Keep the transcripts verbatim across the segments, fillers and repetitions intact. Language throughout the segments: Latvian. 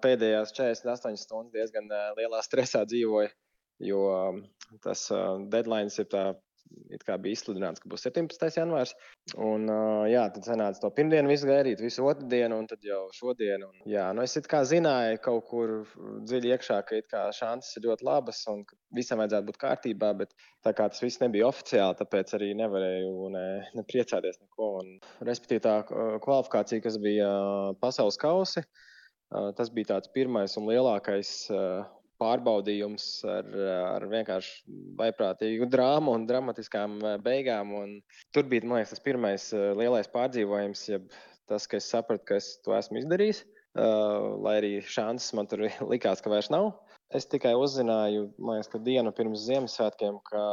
pēdējās četrdesmit astoņas stundas diezgan lielā stresā dzīvoju, jo tas deadlines ir tā, it kā bija izsludināts, ka būs septiņpadsmitais janvārs. Un, jā, tad sanāca to pirmdienu visu gaidīt, visu otru dienu un tad jau šodien. Un, jā, nu es it kā zināju kaut kur dziļi iekšā, ka it kā šanses ir ļoti labas un ka visam vajadzētu būt kārtībā, bet tā kā tas viss nebija oficiāli, tāpēc arī nevarēju ne, ne priecāties neko. Un, respektīvi tā kvalifikācija, kas bija pasaules kausi, tas bija tāds pirmais un lielākais pārbaudījums ar, ar vienkārši vaiprātīgu drāmu un dramatiskām beigām. Un tur bija, man liekas, tas pirmais lielais pārdzīvojums, jeb tas, ka es sapratu, ka es to esmu izdarījis, lai arī šanses man tur likās, ka vairs nav. Es tikai uzzināju, man liekas, ka dienu pirms Ziemassvētkiem, ka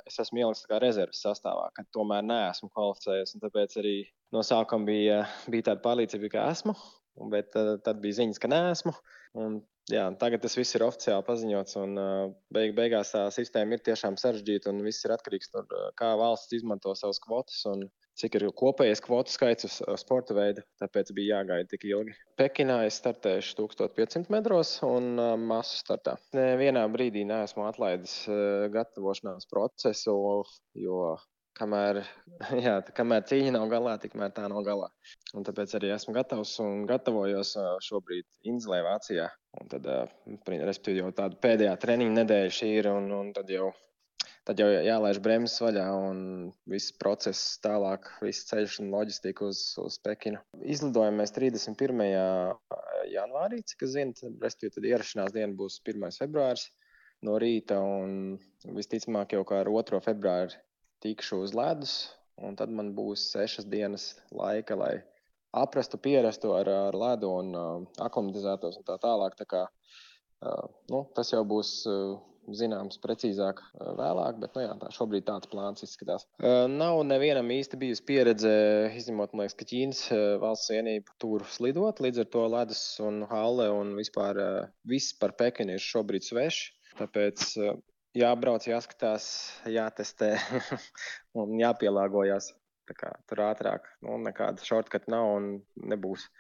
es esmu ieliks tā kā rezerves sastāvā, ka tomēr neesmu kvalificējies. Un tāpēc arī no sākuma bija, bija tāda pārliecība, ka esmu, bet tad, tad bija ziņas, ka neesmu. Un, jā, tagad tas viss ir oficiāli paziņots, un beig, beigās tā sistēma ir tiešām sarežģīta, un viss ir atkarīgs no kā, kā valsts izmanto savas kvotas, un cik ir kopējais kvotu skaits uz sporta veidu, tāpēc bija jāgaida tik ilgi. Pekinā es startēšu tūkstoš piecsimt metros un masu startā. Nevienā brīdī neesmu atlaidis gatavošanās procesu, jo kamēr, jā, kamēr cīņa nav galā, tikmēr tā nav galā. Un tāpēc arī esmu gatavs un gatavojos šobrīd Inzelē, Vācijā. Un tad, respektīvi, jau tāda pēdējā treniņa nedēļa šī ir, un, un tad jau Tad jau jālaiž bremzes vaļā un viss process tālāk, viss ceļš un loģistika uz, uz Pekinu. Izlidojam mēs trīsdesmit pirmajā janvārī, cik es zinu, respektīvi tad ierašanās diena būs pirmais februāris no rīta, un visticamāk jau kā ar otro februāri tikšu uz ledus, un tad man būs sešas dienas laika, lai aprastu, pierastu ar, ar ledu un uh, aklimatizētos un tā tālāk. Tā kā, uh, nu, tas jau būs uh, zināms precīzāk vēlāk, bet nu jā, tā šobrīd tāds plāns izskatās. Nav nevienam īsti bijusi pieredze, izņemot, man liekas, ka Ķīnas valsts vienība tur slidot, līdz ar to ledus un halle un vispār viss par Pekinu ir šobrīd sveši, tāpēc jābrauc, jāskatās, jātestē un jāpielāgojās. Tā kā tur ātrāk, nu, nekāda shortcut nav un nebūs.